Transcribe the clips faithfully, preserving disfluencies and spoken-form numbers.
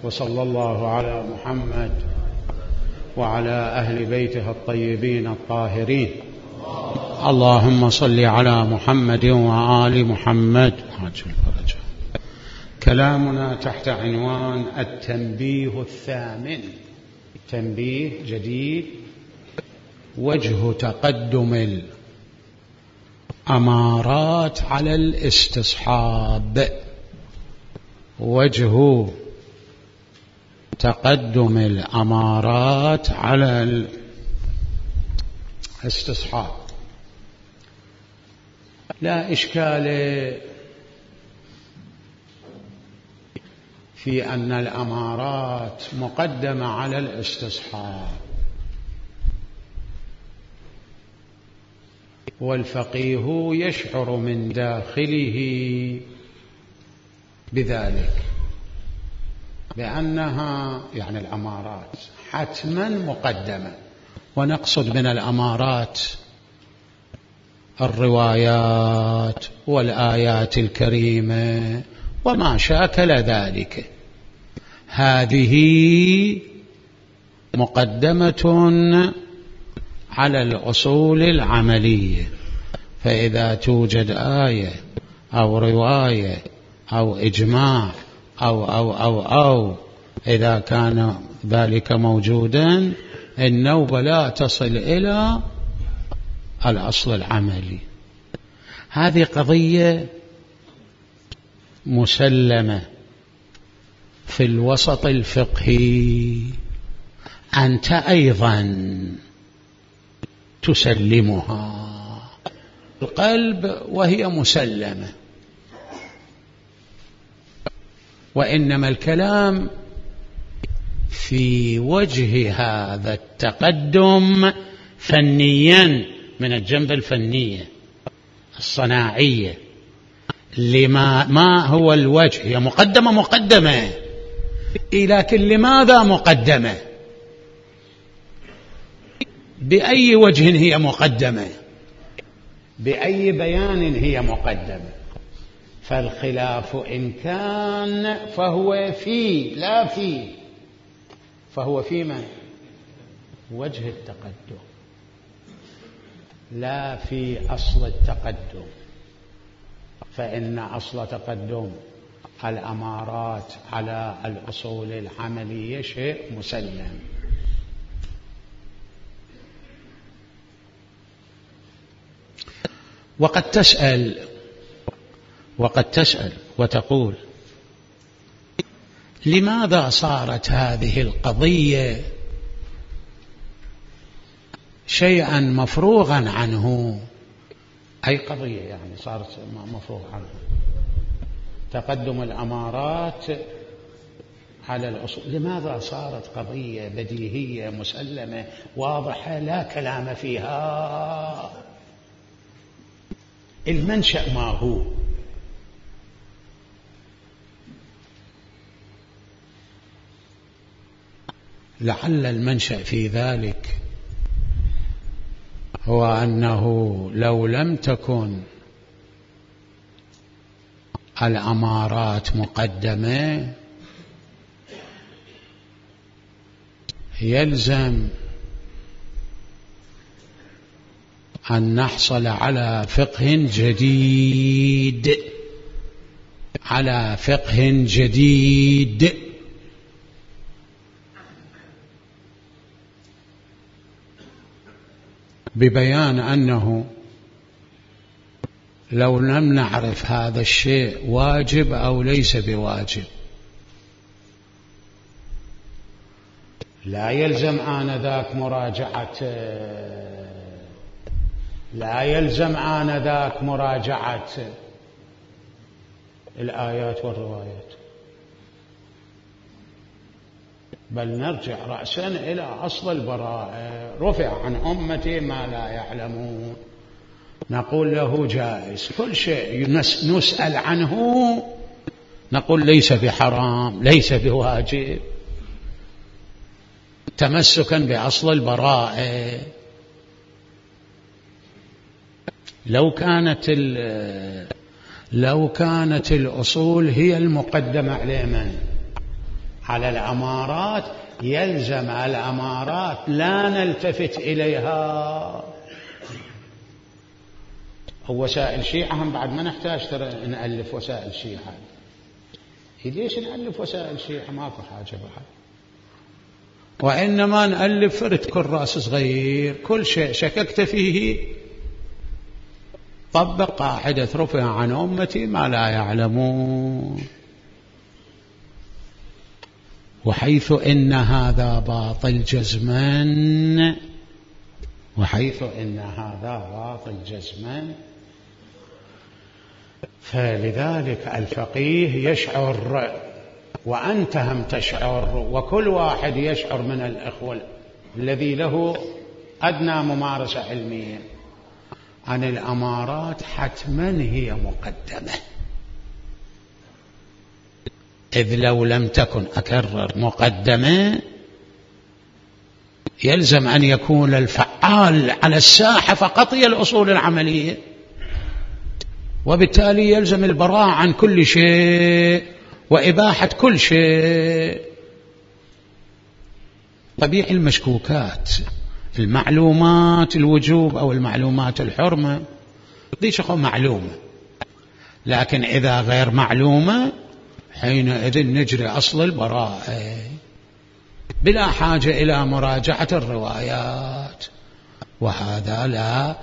وصلى الله على محمد وعلى أهل بيته الطيبين الطاهرين. اللهم صل على محمد وآل محمد. كلامنا تحت عنوان التنبيه الثامن، تنبيه جديد: وجه تقدم الأمارات على الاستصحاب. وجه تقدم الأمارات على الاستصحاب. لا إشكال في أن الأمارات مقدمة على الاستصحاب، والفقيه يشعر من داخله بذلك، بأنها يعني الأمارات حتما مقدمة. ونقصد من الأمارات الروايات والآيات الكريمة وما شاكل ذلك، هذه مقدمة على الأصول العملية. فإذا توجد آية أو رواية أو إجماع أو أو أو أو إذا كان ذلك موجودا، النوبة لا تصل إلى الأصل العملي. هذه قضية مسلمة في الوسط الفقهي، أنت أيضا تسلمها القلب وهي مسلمة. وإنما الكلام في وجه هذا التقدم فنيا، من الجنب الفنية الصناعية. لما ما هو الوجه؟ هي مقدمة مقدمة، لكن لماذا مقدمة؟ بأي وجه هي مقدمة؟ بأي بيان هي مقدمة؟ فالخلاف إن كان فهو في لا في فهو في من؟ وجه التقدم، لا في أصل التقدم. فإن أصل تقدم الأمارات على الأصول العملية شيء مسلم. وقد تسأل وقد تسأل وتقول: لماذا صارت هذه القضية شيئا مفروغا عنه؟ أي قضية يعني صارت مفروغ عنه؟ تقدم الأمارات على الأصول، لماذا صارت قضية بديهية مسلمة واضحة لا كلام فيها؟ المنشأ ما هو؟ لعل المنشأ في ذلك هو أنه لو لم تكن الأمارات مقدمة، يلزم أن نحصل على فقه جديد على فقه جديد ببيان أنه لو لم نعرف هذا الشيء واجب أو ليس بواجب، لا يلزم آنذاك مراجعة لا يلزم آنذاك مراجعة الآيات والروايات، بل نرجع رأسا إلى أصل البراءة. رفع عن أمتي ما لا يعلمون، نقول له جائز. كل شيء نسأل عنه نقول ليس بحرام ليس بواجب، تمسكا بأصل البراءة. لو كانت لو كانت الأصول هي المقدمة على من؟ على الأمارات، يلزم الأمارات لا نلتفت إليها. ووسائل شيعة هم بعد ما نحتاج ترى نألف وسائل شيعة. ليش نألف وسائل شيعة؟ ماكو حاجة بعد، وإنما نألف فرد كراس صغير كل شيء شككت فيه طبق قاعدة رفع عن أمتي ما لا يعلمون. وحيث إن هذا باطل جزما، وحيث إن هذا باطل جزما، فلذلك الفقيه يشعر وأنت هم تشعر، وكل واحد يشعر من الإخوة الذي له أدنى ممارسة علمية عن الأمارات حتما هي مقدمة، إذ لو لم تكن أكرر مقدمة يلزم أن يكون الفعال على الساحة فقط هي الأصول العملية، وبالتالي يلزم البراءة عن كل شيء وإباحة كل شيء. طبيعي المشكوكات، المعلومات الوجوب أو المعلومات الحرمة دي شغل معلومة، لكن إذا غير معلومة حينئذ نجري أصل البراءة بلا حاجة إلى مراجعة الروايات، وهذا لا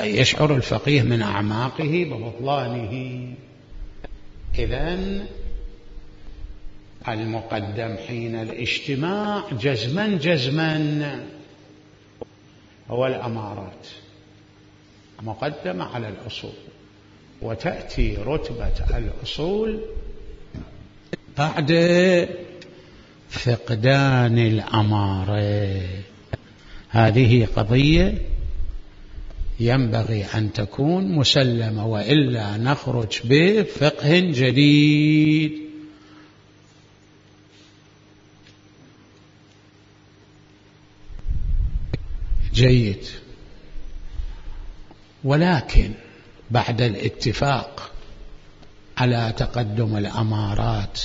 يشعر الفقيه من أعماقه ببطلانه. إذن المقدم حين الاجتماع جزما جزما هو الأمارات، مقدمة على الأصول، وتأتي رتبة الأصول بعد فقدان الأمارة. هذه قضية ينبغي أن تكون مسلمة، وإلا نخرج بفقه جديد. جيد. ولكن بعد الاتفاق على تقدم الأمارات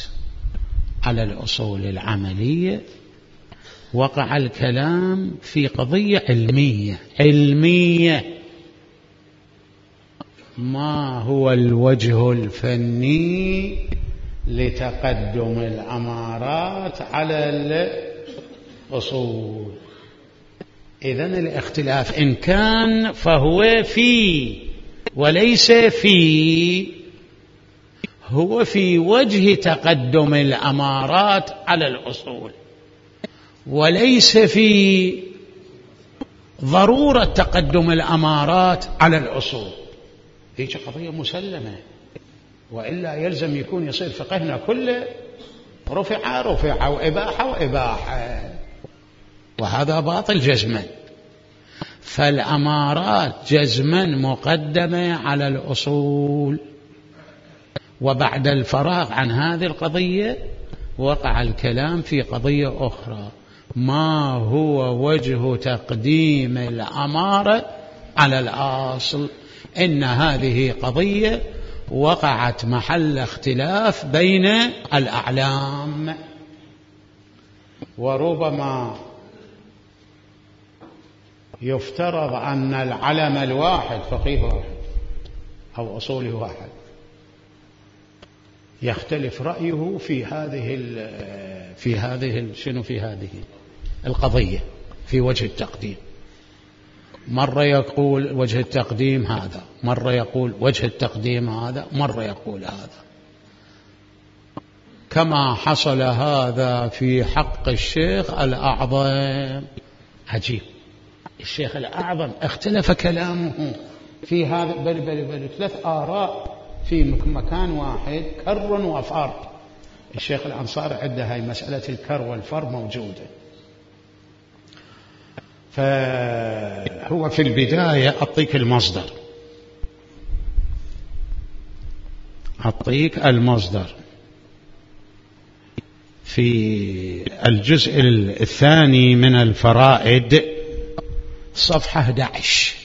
على الأصول العملية وقع الكلام في قضية علمية علمية ما هو الوجه الفني لتقدم الأمارات على الأصول؟ إذن الاختلاف إن كان فهو في وليس في، هو في وجه تقدم الأمارات على الأصول، وليس في ضرورة تقدم الأمارات على الأصول. هيك قضية مسلمة، وإلا يلزم يكون يصير فقهنا كله رفع رفع وإباحة وإباحة، وهذا باطل جزما. فالأمارات جزما مقدمة على الأصول. وبعد الفراغ عن هذه القضية وقع الكلام في قضية أخرى، ما هو وجه تقديم الأمارة على الأصل؟ إن هذه قضية وقعت محل اختلاف بين الأعلام، وربما يفترض أن العلم الواحد فقيه واحد أو أصوله واحد يختلف رأيه في هذه في هذه شنو في هذه القضية في وجه التقديم. مرة يقول وجه التقديم هذا، مرة يقول وجه التقديم هذا، مرة يقول هذا، كما حصل هذا في حق الشيخ الأعظم. عجيب، الشيخ الأعظم اختلف كلامه في هذا، بل بل بل ثلاث آراء في مكان واحد، كر وفر. الشيخ الأنصاري عنده هاي مسألة الكر والفر موجودة. فهو في البداية أعطيك المصدر، أعطيك المصدر في الجزء الثاني من الفرائد صفحة أحد عشر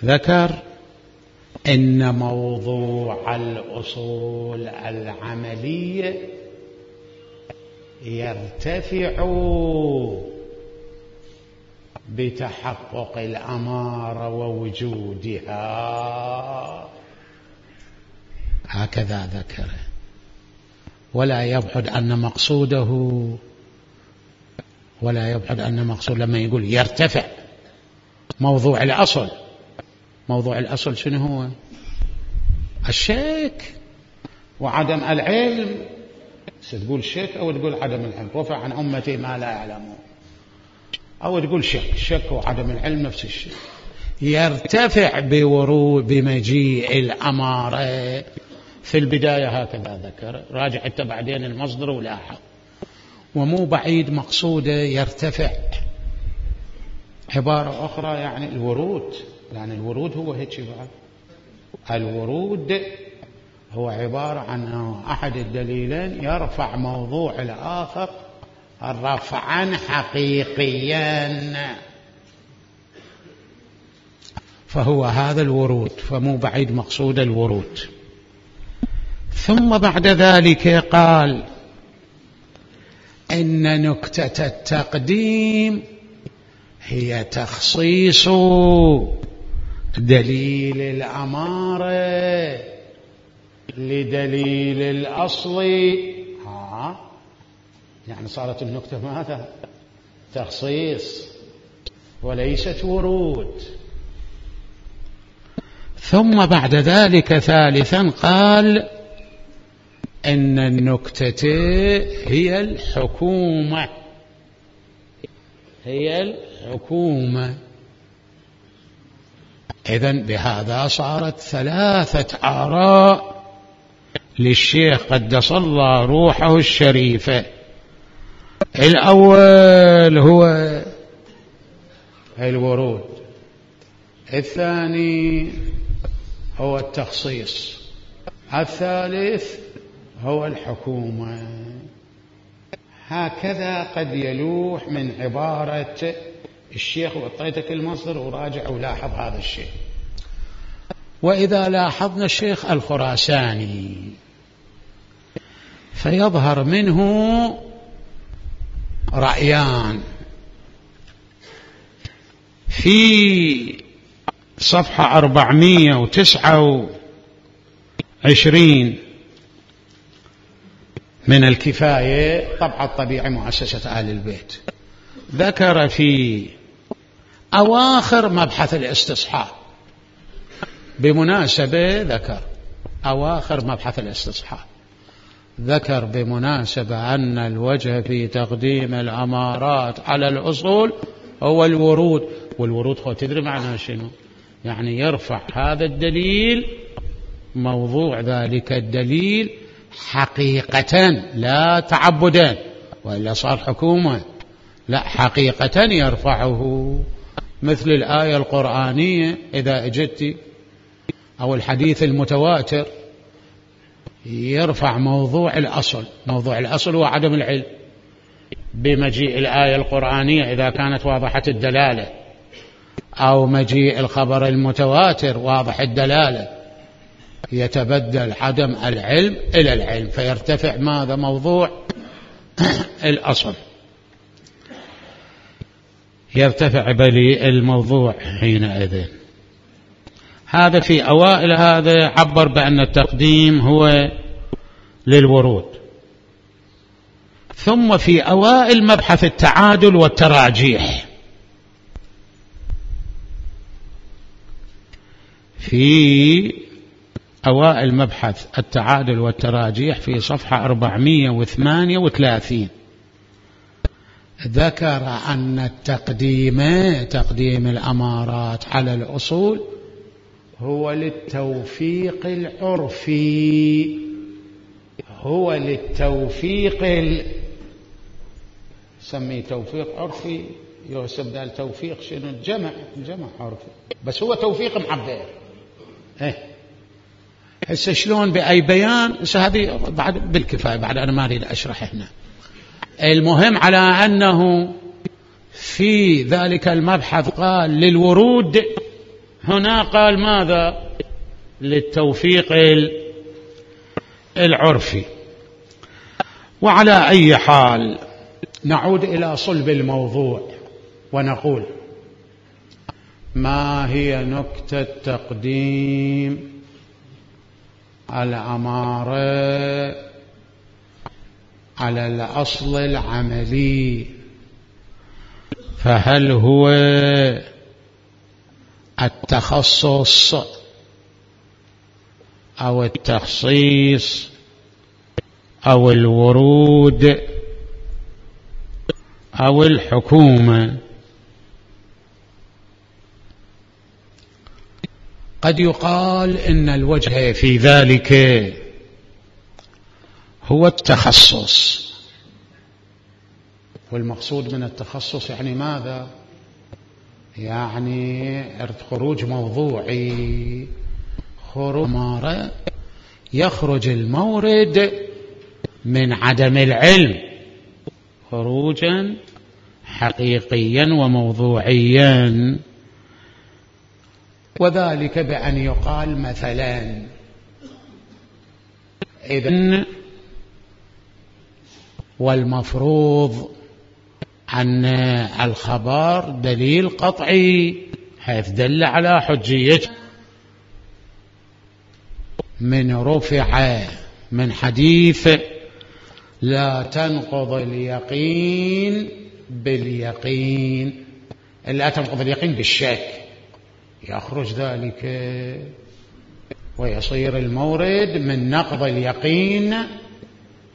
ذكر إن موضوع الأصول العملية يرتفع بتحقق الأمارة ووجودها، هكذا ذكر. ولا يبعد أن مقصوده ولا يبعد أن مقصود لما يقول يرتفع موضوع الأصل، موضوع الأصل شنو هو؟ الشك وعدم العلم. تقول شك أو تقول عدم العلم. رفع عن أمتي ما لا يعلمون، أو تقول شك. شك وعدم العلم نفس الشيء. يرتفع بورود بمجيء الأمارة في البداية، هكذا ذكر. راجع حتى بعدين المصدر ولاحظ. ومو بعيد مقصوده يرتفع، عبارة أخرى يعني الورود، يعني الورود هو هيك بعد. الورود هو عبارة عن أحد الدليلين يرفع موضوع الآخر رفعا حقيقيا، فهو هذا الورود، فمو بعيد مقصود الورود. ثم بعد ذلك قال إن نكتة التقديم هي تخصيص دليل الأمارة لدليل الأصل. ها يعني صارت النكتة ماذا؟ تخصيص وليست ورود. ثم بعد ذلك ثالثا قال إن النكتة هي الحكومة، هي الحكومة. إذن بهذا صارت ثلاثة آراء للشيخ قدس الله روحه الشريفة. الأول هو الورود، الثاني هو التخصيص، الثالث هو الحكومة. هكذا قد يلوح من عبارة الشيخ، وأعطيتك المصدر وراجع ولاحظ هذا الشيء. وإذا لاحظنا الشيخ الخراساني فيظهر منه رأيان. في صفحة أربعمائة وتسعة وعشرين من الكفاية، طبعة الطبيعي مؤسسة آل البيت، ذكر في أواخر مبحث الاستصحاب، بمناسبة ذكر أواخر مبحث الاستصحاب، ذكر بمناسبة أن الوجه في تقديم الأمارات على الأصول هو الورود. والورود هو تدري معناه شنو؟ يعني يرفع هذا الدليل، موضوع ذلك الدليل حقيقة لا تعبدا، وإلا صار حكومة. لا، حقيقة يرفعه، مثل الآية القرآنية إذا أجدت، أو الحديث المتواتر، يرفع موضوع الأصل. موضوع الأصل هو عدم العلم، بمجيء الآية القرآنية إذا كانت واضحة الدلالة، أو مجيء الخبر المتواتر واضح الدلالة، يتبدل عدم العلم إلى العلم، فيرتفع ماذا؟ موضوع الأصل، يرتفع بلي الموضوع حينئذ. هذا في أوائل هذا عبر بأن التقديم هو للورود. ثم في أوائل مبحث التعادل والتراجيح، في أوائل مبحث التعادل والتراجيح في صفحة أربعمائة وثمانية وثلاثين، ذكر أن التقديم، تقديم الأمارات على الأصول، هو للتوفيق العرفي، هو للتوفيق ال... سميه توفيق عرفي، يوسف دال توفيق شنو؟ الجمع، الجمع عرفي، بس هو توفيق معبر. ايه هسه شلون بأي بيان؟ هسه هذه بعد بالكفاية، بعد أنا ما أريد أشرح هنا. المهم على أنه في ذلك المبحث قال للورود، هنا قال ماذا؟ للتوفيق العرفي. وعلى أي حال نعود إلى صلب الموضوع ونقول: ما هي نكتة تقديم الأمارة على الأصل العملي؟ فهل هو التخصص أو التخصيص أو الورود أو الحكومة؟ قد يقال إن الوجه في ذلك هو التخصص. والمقصود من التخصص يعني ماذا؟ يعني خروج موضوعي، خروج أمارة، يخرج المورد من عدم العلم خروجا حقيقيا وموضوعيا، وذلك بأن يقال مثلا: إذن والمفروض أن الخبر دليل قطعي حيث دل على حجيته من رفع من حديث لا تنقض اليقين باليقين، لا تنقض اليقين بالشك، يخرج ذلك ويصير المورد من نقض اليقين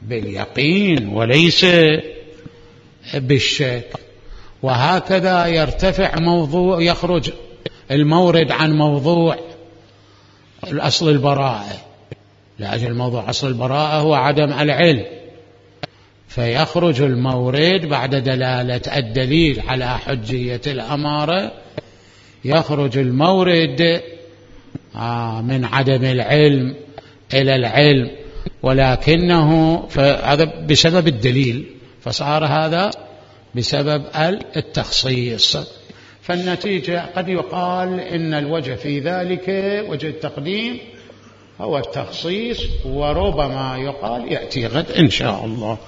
باليقين وليس بالشك. وهكذا يرتفع موضوع، يخرج المورد عن موضوع الأصل البراءة، لأجل موضوع أصل البراءة هو عدم العلم، فيخرج المورد بعد دلالة الدليل على حجية الأمارة، يخرج المورد من عدم العلم إلى العلم، ولكنه هذا بسبب الدليل، فصار هذا بسبب التخصيص. فالنتيجة قد يقال إن الوجه في ذلك وجه التقديم هو التخصيص، وربما يقال يأتي غد إن شاء الله.